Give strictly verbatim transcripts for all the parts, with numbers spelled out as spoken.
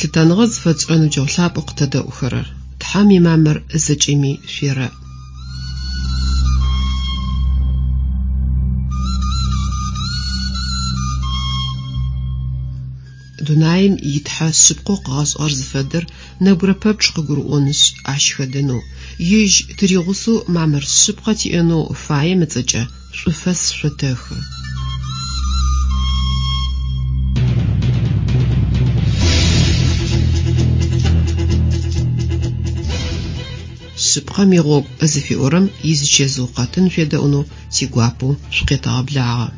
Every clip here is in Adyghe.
Лъытэныгъэ зыфэтшӏырэ ныбджэгъу лъапӏэу къытэдэӏухэрэр, Тхьэм имамыр зэкӏэми шъуерэӏ. Дунаим итхьэ шъыпкъэу къыгъэшӏыгъэр зыфэдэр нэбгырэ пэпчъ къыгурыӏонышъ, ащ хэдэнэу, ежь тыригъусэу мамыр шъыпкъэ тиӏэнэу фаем ыцӏэкӏэ шӏуфэс шъотэхы. Шъыпкъэм игъогу зыфиӏорэм изычэзыу къэтын шъуедэӏунэу тигуапэу шъукъетэгъэблагъэ.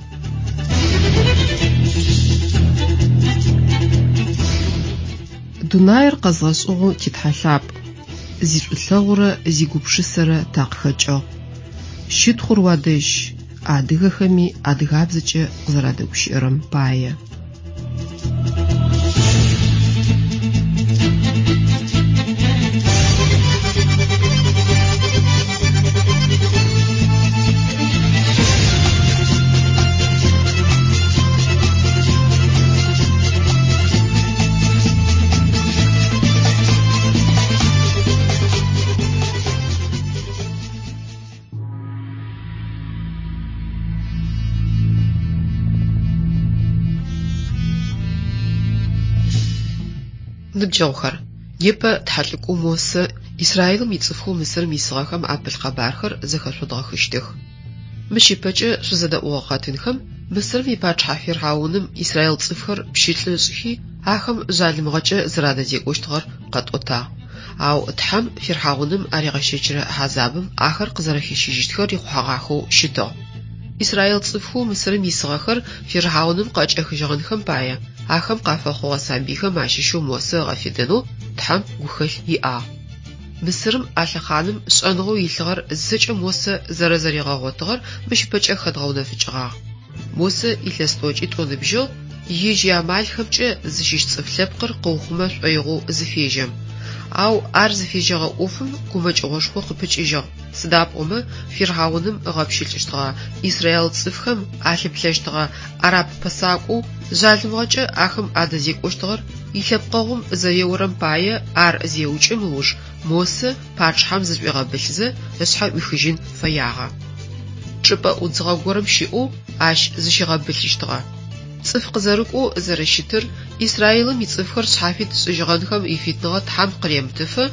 Дунаир къэзгъэшӏыгъэу титхьэ лъапӏ, зишӏулъэгъурэ зигупшысэрэ такъыхэкӏыгъ. Щытхъур уадэжь, адыгэхэми адыгабзэкӏэ къызэрадэгущыӏэрэм пае. Ныбджэгъухэр, непэ тхьэлӏыкӏоу Мосэ Израилым ицӏыфхэу Мысырым исыгъэхэм апылъ къэбархэр зэхэшъодгъэхыщтых. Мыщ ыпэкӏэ шъузэдэӏугъэ къэтынхэм Мысырым ипачъыхьэ Фирхьауным Израил цӏыфхэр пщылӏы ышӏхи, ахэм жъалымыгъэкӏэ зэрадэзекӏощтыгъэр къэтӏотагъ. Ау Тхьэм Фирхьауным аригъэщэчырэ хьазабым ахэр къызэрэхищыжьыщтхэр рихъухьэгъахэу щытыгъ. Израил цӏыфхэу Мысырым исыгъэхэр Фирхьауным къыӏэкӏэхыжьыгъэнхэм пае ахэм къафэхъугъэ сабыйхэм ащыщэу Мосэ ыгъэфедэнэу Тхьэм гухэлъ иӏагъ. Мысырым а лъэхъаным шӏэныгъэу илъыгъэр зэкӏэ Мосэ зэрэзэригъэгъотыгъэр мыщ ыпэкӏэ хэдгъэунэфыкӏыгъагъ. Мосэ илъэс тӏокӏитӏу ыныбжьыгъ, ежь иамалхэмкӏэ зыщыщ цӏыф лъэпкъыр къыухъумэ шӏоигъоу зыфежьэм. Ау ар зыфежьэгъэ ӏофым гумэкӏыгъошхо къыпыкӏыжьыгъ. Сыда пӏомэ Фирхьауным ыгъэпщылӏыщтыгъэ Израил цӏыфхэм алъыплъэщтыгъэ араб пэсакӏоу жъалымыгъэкӏэ ахэм адэзекӏощтыгъэр илъэпкъэгъум зэреорэм пае ар зеукӏым ыуж Мосэ пачъыхьэм зышӏуигъэбылъызэ ышъхьэ ӏуихыжьын фэягъэ. Чӏыпӏэ ӏудзыгъэ горэм щыӏэу ащ зыщигъэбылъыщтыгъэ. Цӏыф къызэрыкӏоу зэрэщытыр, Израилым ицӏыфхэр шъхьафит шӏыжьыгъэнхэм ифитыныгъэ Тхьэм къыремытыфэ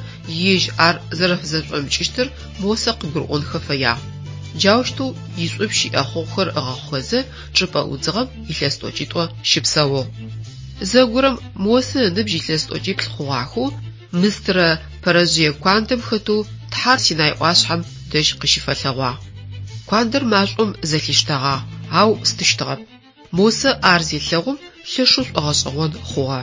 ежь ар зэрэфызэшӏомыкӏыщтыр Мосэ къыгурыӏонхэ фэягъ. Джаущтэу ишӏупщ иӏэхъогъухэр ыгъэхъухэзэ чӏыпӏэ ӏудзыгъэм илъэс тӏокӏитӏо щыпсэугъ. Зэгорэм Мосэ ыныбжь илъэс тӏокӏиплӏ хъугъахэу мыстырэ пэрэжъые куандэм хэтэу Тхьэр Синай ӏуашъхьэм дэжь къыщыфэлъэгъуагъ. Куандэр машӏом зэлъиштэгъагъ, ау стыщтыгъэп. Мосэ ар зелъэгъум лъэшэу шӏогъэшӏэгъон хъугъэ.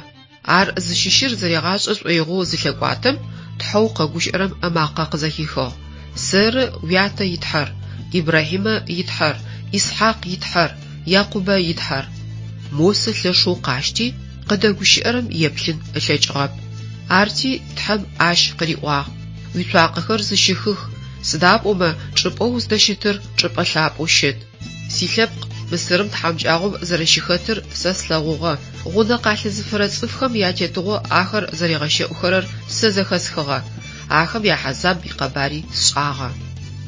Ар зыщыщыр зэригъашӏэ шӏоигъоу зылъэкӏуатэм, Тхьэу къэгущыӏэрэм ымакъэ къызэхихыгъ. Сэры уятэ итхьэр, Ибрахьимэ итхьэр, Исхьакъ итхьэр, Якъубэ итхьэр. Мосэ лъэшэу къащти, къыдэгущыӏэрэм еплъын ылъэкӏыгъэп. Арти Тхьэм ащ къыриӏуагъ: Уицуакъэхэр зыщыхых, сыда пӏомэ чӏыпӏэу уздэщытыр чӏыпӏэ лъапӏэу щыт. Силъэпкъ Мысырым тхьамыкӏагъом зэрэщыхэтыр сэ слъэгъугъэ, гъунэ къалъызыфырэ цӏыфхэм ятетыгъо ахэр зэригъэщэӏухэрэр сэ зэхэсхыгъэ, ахэм яхьазаб икъэбари сшӏагъэ.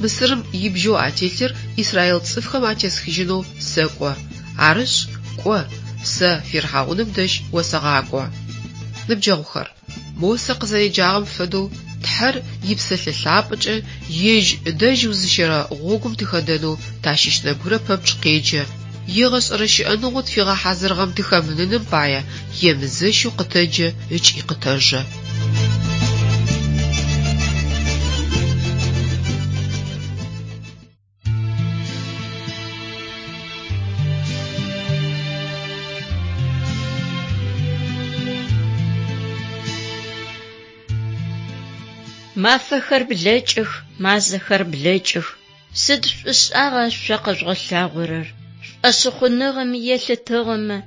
Мысырым ибжьэу ателъыр Израил цӏыфхэм атесхыжьынэу сэкӏо. Арышъ, кӏо, сэ Фирхьауным дэжь осэгъакӏо. Ныбджэгъухэр, Мосэ къызэреджагъэм фэдэу Тхьэр ипсэлъэ лъапӏэкӏэ ежь дэжь узыщэрэ гъогум тыхэдэнэу тащыщ нэбгырэ пэпчъ къеджэ, егъэшӏэрэ щыӏэныгъэу тфигъэхьазырыгъэм тыхэмыныным пае емызэщэу къытэджэ ыкӏи къытэжэ. Мафэхэр блэкӏых, мазэхэр блэкӏых. Сыд шӏушӏагъа шъо къэжъугъэлъагъорэр? Шӏошъхъуныгъэм елъытыгъэмэ,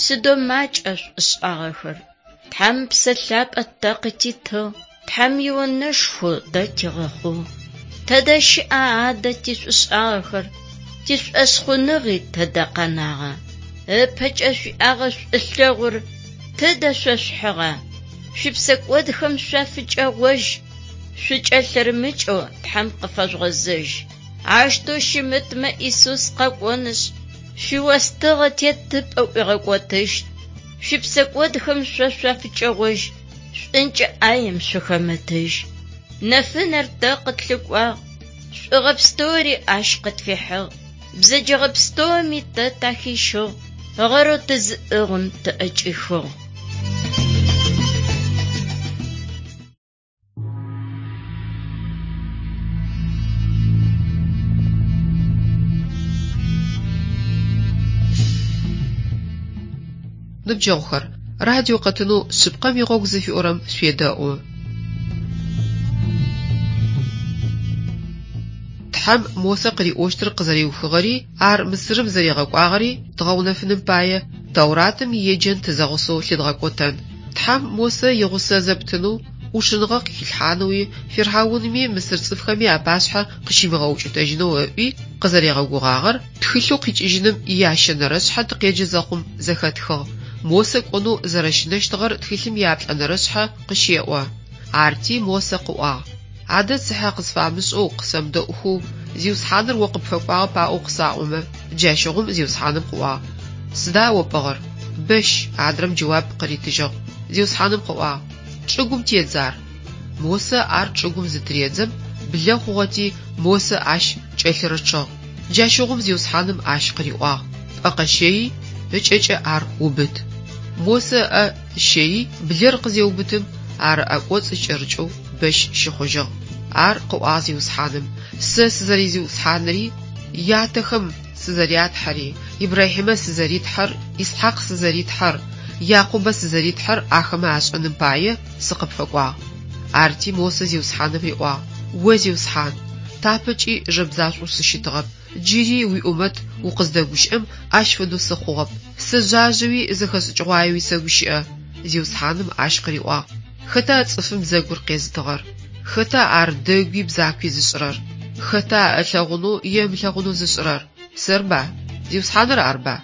сыдэу макӏа шӏушӏагъэхэр. Тхьэм Псэ Лъапӏэ тэ къытитыгъ, Тхьэм ионэшхо тэ тигъэхъугъ. Тэдэ щыӏа адэ тишӏушӏагъэхэр, тишӏошъхъуныгъи тэдэ къэнагъа? Ыпэкӏэ шъуиӏагъэ шӏулъэгъур тэдэ шъо шъухьыгъа? Шъуипсэкӏодхэм шъуафыкӏэгъожь, шъукӏэлъырымыкӏэу Тхьэм къыфэжъугъэзэжь. Аущтэу щымытмэ Исус къэкӏонышъ, шъуиостыгъэ тетыпӏэ ӏуигъэкӏотыщт. Шъуипсэкӏодхэм шъо шъуафыкӏэгъожь, шӏункӏэ ӏаем шъухэмытыжь. Нэфынэр тэ къытлъыкӏуагъ, шӏугъэ пстэури ащ къытфихьыгъ. Бзэджэгъэ пстэуми тэ тахищыгъ, гъэрэу тызыӏыгъым тыӏэкӏихыгъ. Ныбджэгъухэр, радио къэтынэу «Шъыпкъэм игъогу» зыфиӏорэм шъуедэӏу. Тхьэм Мосэ къыриӏощтыр къызэриухыгъэри, ар Мысырым зэригъэкӏуагъэри дгъэунэфыным пае Тэуратым иеджэн тызэгъусэу лъыдгъэкӏотэн. Тхьэм Мосэ игъусэ зэпытынэу, ӏушыныгъэ къыхилъхьанэуи, фирхьаунми мысыр цӏыфхэми апашъхьэ къыщимыгъэукӏытэжьынэу ыӏуи къызэригъэгугъагъэр тхылъэу къикӏыжьыным иящэнэрэшъхьэ тыкъеджэ зэхъум зэхэтхыгъ. Мосэ кӏонэу зэрэщынэщтыгъэр тхылъым ияплӏэнэрэшъхьэ къыщеӏо. Арти Мосэ къыӏуагъ: Адэ цыхьэ къысфамышӏэу, къысэмыдэӏухэу, Зиусхьаныр о къыпфэкӏуагъэп аӏоу къысаӏомэ? Джащыгъум Зиусхьаным къыӏуагъ: Сыда о пӏыгъыр? Бэщ, адрэм джэуап къыритыжьыгъ. Зиусхьаным къыӏуагъ: Чӏыгум тедз ар. Мосэ ар чӏыгум зытыредзэм, блэ хъугъэти, Мосэ ащ кӏэлъырычъыгъ. Джащыгъум Зиусхьаным ащ къыриӏуагъ: Пӏэ къэщэий, ыкӏэкӏэ ар убыт. Мосэ ыӏэ ыщэий, блэр къызеубытым, ар ыӏэ кӏоцӏ кӏэрыкӏэу бэщ щыхъужьыгъ. Ар къыӏуагъ Зиусхьаным: Сэ сызэри-Зиусхьаныри, ятэхэм сызэрятхьэри, Ибрахьимэ сызэритхьэр, Исхьакъ сызэритхьэр, Якъубэ сызэритхьэр ахэмэ ашӏэным пае сыкъыпфэкӏуагъ. Арти Мосэ Зиусхьаным риӏуагъ: О Зиусхьан, тапэкӏи жэбзашӏоу сыщытыгъэп, джыри уиӏумэт укъыздэгущыӏэм ащ фэдэу сыхъугъэп. Сэ жъажъэуи зэхэшӏыкӏыгъуаеуи сэгущыӏэ. Зиусхьаным ащ къыриӏуагъ: Хэта цӏыфым бзэгур къезытыгъэр? Хэта ар дэгуи бзакуи зышӏырэр? Хэта ылъэгъунэу е ымылъэгъунэу зышӏырэр? Сэрба? Зиусхьаныр арба?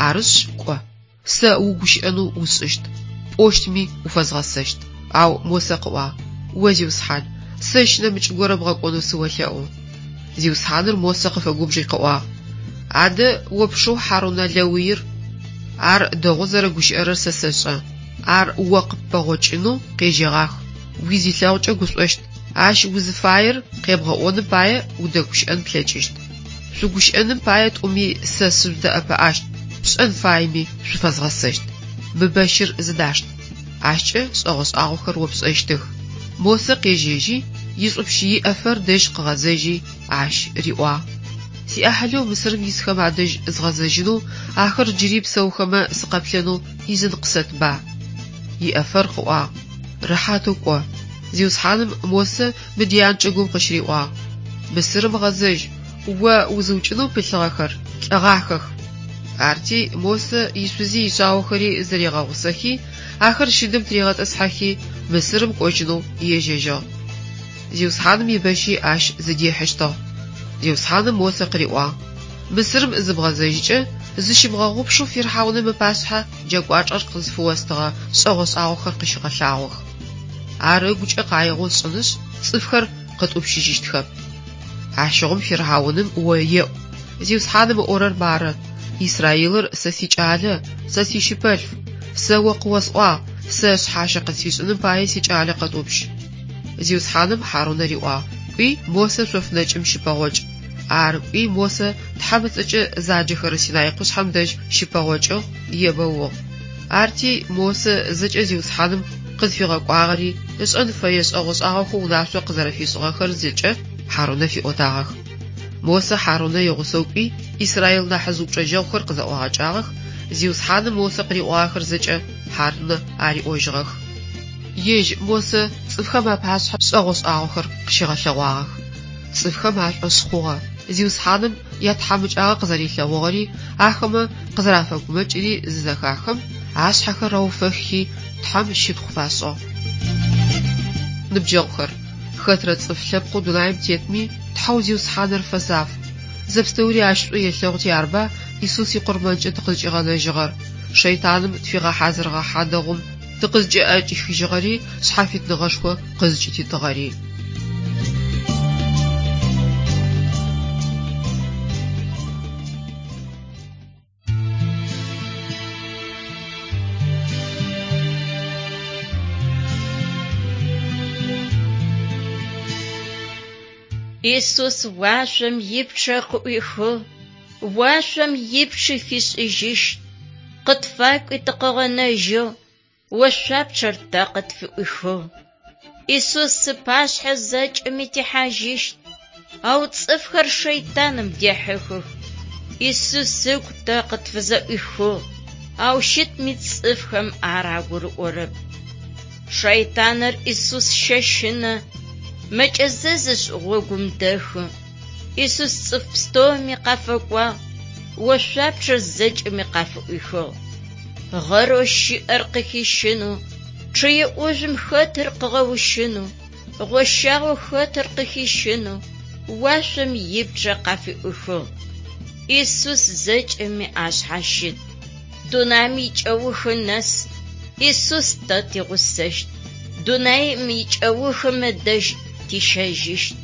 Арышъ, кӏо. Сэ угущыӏэнэу усшӏыщт, пӏощтми уфэзгъэсэщт. Ау Мосэ къыӏуагъ: О Зиусхьан, сэщ нэмыкӏ горэ бгъэкӏонэу сыолъэӏу. Зиусхьаныр Мосэ къыфэгубжи къыӏуагъ: Адэ о пшэу Хьарунэ лэуир? Ар дэгъоу зэрэгущыӏэрэр сэ сэшӏэ. Ар о къыппэгъокӏынэу къежьэгъах, уизилъэгъукӏэ гушӏощт. Ащ узыфаер къебгъэӏоным пае удэгущыӏэн плъэкӏыщт. Шъугущыӏэным пае тӏуми сэ сыжъудэӏэпыӏащт, пшӏэн фаеми шъуфэзгъэсэщт. Мы бэщыр зыдашт. Ащкӏэ шӏэгъо-шӏагъохэр о пшӏэщтых. Мосэ къежьэжьи, ишӏупщ Иӏэфэр дэжь къыгъэзэжьи, ащ риӏуагъ: Сиӏахьылэу Мысырым исхэм адэжь згъэзэжьынэу, ахэр джыри псэухэмэ сыкъэплъэнэу ӏизын къысэтба. Иӏэфэр къыӏуагъ: Рэхьатэу кӏо. Зиусхьаным Мосэ Мыдиан чӏыгум къыщыриӏуагъ: Мысырым гъэзэжь, о узыукӏынэу пылъыгъэхэр лӏэгъахэх. Арти Мосэ ишъузи ишъаохэри зэригъэгъусэхи, ахэр щыдым тыригъэтӏысхьэхи, Мысырым кӏожьынэу ежьэжьыгъ. Зиусхьаным ибэщи ащ зыдихьыщтыгъ. Зиусхьаным Мосэ къыриӏуагъ: Мысырым зыбгъэзэжькӏэ, зыщымыгъэгъупшэу фирхьауным ыпашъхьэ джа кӏуачӏэр къызфыостыгъэ шӏэгъо-шӏагъохэр къыщыгъэлъагъох. Ар ыгукӏэ къаигъэу ышӏынышъ, цӏыфхэр къытӏупщыжьыщтхэп. Ащыгъум фирхьауным о еӏу: Зиусхьаным ыӏорэр мары: Израилыр сэ сикӏалэ, сэ сищыпэлъф. Сэ о къыосӏуагъ: сэ шъхьащэ къысфишӏыным пае сикӏалэ къэтӏупщ. Зиусхьаным Хьарунэ риӏуагъ: Кӏуи Мосэ шъоф нэкӏым щыпэгъокӏ. Ар кӏуи Мосэ Тхьэм ыцӏэкӏэ заджэхэрэ Синай къушъхьэм дэжь щыпэгъокӏыгъ, ебэугъ. Арти Мосэ зэкӏэ Зиусхьаным къызфигъэкӏуагъэри, ышӏэн фэе шӏэгъо-шӏагъохэу унашъо къызэрэфишӏыгъэхэр зэкӏэ Хьарунэ фиӏотагъэх. Мосэ Хьарунэ игъусэу кӏуи, Израил нахьыжъ упчӏэжьэгъухэр къызэӏуагъэкӏагъэх, Зиусхьаным Мосэ къыриӏуагъэхэр зэкӏэ Хьарунэ ариӏожьыгъэх. Ежь Мосэ цӏыфхэм апашъхьэ шӏэгъо-шӏагъохэр къыщигъэлъэгъуагъэх. Цӏыфхэм ашӏошъ хъугъэ. Зиусхьаным ятхьамыкӏагъэ къызэрилъэгъугъэри, ахэмэ къызэрафэгумэкӏыри зызэхахым, ашъхьэхэр рауфэххи, Тхьэм щытхъу фашӏыгъ. Ныбджэгъухэр, хэтрэ цӏыф лъэпкъэу дунаим тетми, Тхьэу Зиусхьаныр фэзаф. Зэпстэури ащ шӏу елъэгъути арба Исус икъурмэнкӏэ тыкъызкӏигъэнэжьыгъэр, шэйтаным тфигъэхьазырыгъэ хьадэгъум тыкъызкӏыӏэкӏихыжьыгъэри, шъхьафитныгъэшхо къызкӏытитыгъэри. Исус уашъом ипчъэ къыӏуихыгъ, уашъом ипчъи фишӏыжьыщт. Къытфакӏуи тыкъыгъэнэжьыгъ, ошъуапчъэр тэ къытфыӏуихыгъ. Исус ыпашъхьэ зэкӏэми тихьажьыщт, ау цӏыфхэр шэйтаным дехьыхых. Исус ыгу тэ къытфызэӏуихыгъ, ау щытми цӏыфхэм ар агурыӏорэп. Шэйтаныр Исус щэщынэ, мэкӏэзэзышъ гъогум дэхы. Исус цӏыф пстэуми къафэкӏуагъ, ошъуапчъэр зэкӏэми къафыӏуихыгъ. Гъэрэу щыӏэр къыхищынэу, чъые ӏужъум хэтыр къыгъэущынэу, гъощагъэу хэтыр къыхищынэу, уашъом ипчъэ къафыӏуихыгъ. Исус зэкӏэми ашъхьащыт. Дунаим икӏэухы нэс Исус тэ тигъусэщт. Дунаим икӏэухым ыдэжь тищэжьыщт.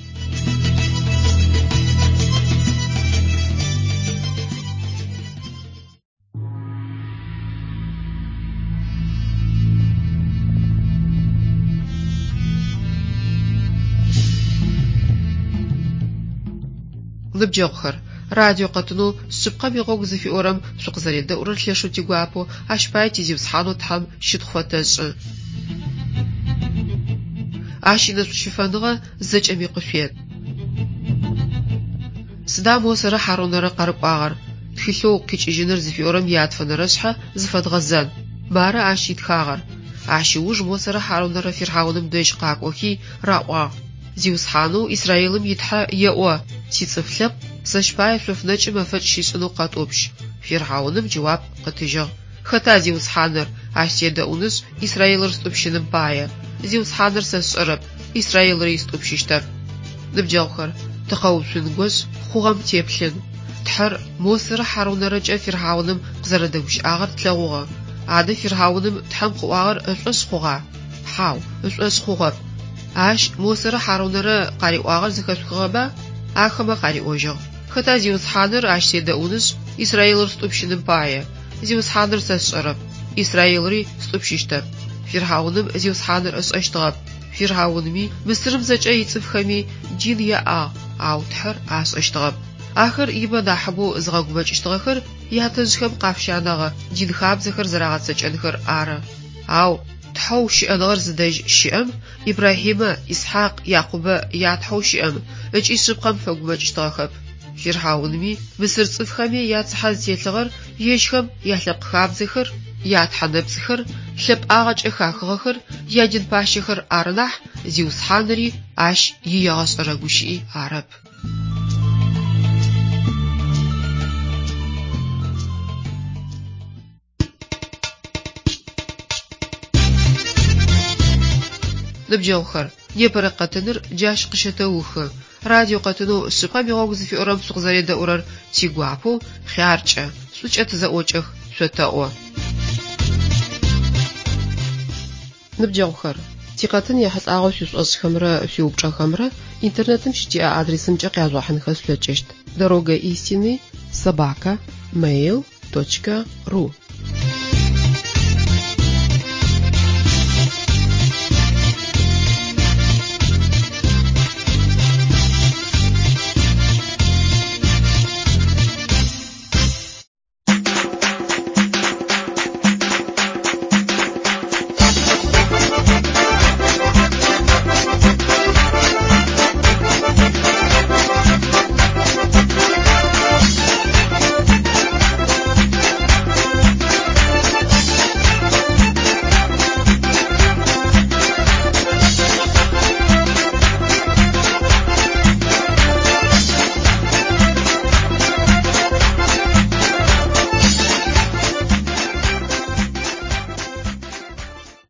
Ныбджэгъухэр, радио къэтынэу шъыпкъэм игъогу зыфиӏорэм шъукъызэредэӏурэр лъэшэу тигуапэу ащ пае ти Зиусхьанэу Тхьэм щытхъу фэтэшӏы. Ащ инэшӏущыфэныгъэ зэкӏэми къышъует. Сыда Мосэрэ Хьарунэрэ къарыкӏуагъэр? Тхылъэу «Къикӏыжьыныр» зыфиӏорэм ятфэнэрэ шъхьэ зыфэдгъэзэн. Мары ащ итхагъэр: Ащ ыуж Мосэрэ Хьарунэрэ фирхьауным дэжь къакӏохи раӏуагъ: «Зиусхьанэу Израилым и Тхьэ еӏо: Сицӏыф лъэпкъ сэщ пае шъоф нэкӏым мэфэкӏ щишӏынэу къэтӏупщ». Фирхьауным джэуап къытыжьыгъ: «Хэта Зиусхьаныр? Ащ седэӏунышъ Израилыр стӏупщыным пае. Зиусхьаныр сэ сшӏэрэп, Израилыри стӏупщыщтэп». Ныбджэгъухэр, тыкъэуцунгошъ хъугъэм теплъын. Тхьэр Мосэрэ Хьарунэрэкӏэ фирхьауным къызэрэдэгущыӏагъэр тлъэгъугъэ. Адэ фирхьауным Тхьэм къыӏуагъэр ышӏошъ хъугъа? Хьау, ышӏошъ хъугъэп. Ащ Мосэрэ Хьарунэрэ къариӏуагъэр зэхэшъухыгъэба? Ахэмэ къариӏожьыгъ: «Хэта Зиусхьаныр ащ седэӏунышъ Израилыр стӏупщыным пае? Зиусхьаныр сэ сшӏэрэп, Израилыри стӏупщыщтэп». Фирхьауным Зиусхьаныр ышӏэщтыгъэп. Фирхьаунми Мысырым зэкӏэ ицӏыфхэми дин яӏагъ, ау Тхьэр ашӏэщтыгъэп. Ахэр ибэ нахьыбэу зыгъэгумэкӏыщтыгъэхэр ятэжъхэм къафщанэгъэ дин хабзэхэр зэрагъэцэкӏэнхэр ары. Ау Тхьэу щыӏэныгъэр зыдэжь щыӏэм Ибрахьимэ, Исхьакъ, Якъубэ ятхьэу щыӏэм ыкӏи шъыпкъэм фэгумэкӏыщтыгъэхэп. Фирхьаунми мысыр цӏыфхэми яцыхьэ зытелъыгъэр ежьхэм ялъэпкъ хабзэхэр, ятхьэ нэпцӏхэр, лъэпӏагъэкӏэ хахыгъэхэр, ядин пащэхэр ары нахь Зиусхьаныри ащ иегъэшӏэрэ гущыӏи арэп. Ныбджэгъухэр, непэрэ къэтыныр джащ къыщэтэухы. Радио къэтынэу шъыпкъэм игъогу зыфиӏорэм шъукъызэредэӏурэр тигуапэу хъяркӏэ, шӏукӏэ тызэӏокӏэх, шъотэӏо. Ныбджэгъухэр, тикъэтын ехьылӏагъэу шъуишӏошӏхэмрэ шъуиупчӏэхэмрэ интернетым щытиӏэ адресымкӏэ къяжъугъэхьынхэ шъулъэкӏыщт: дорога истины собака mail точка ру.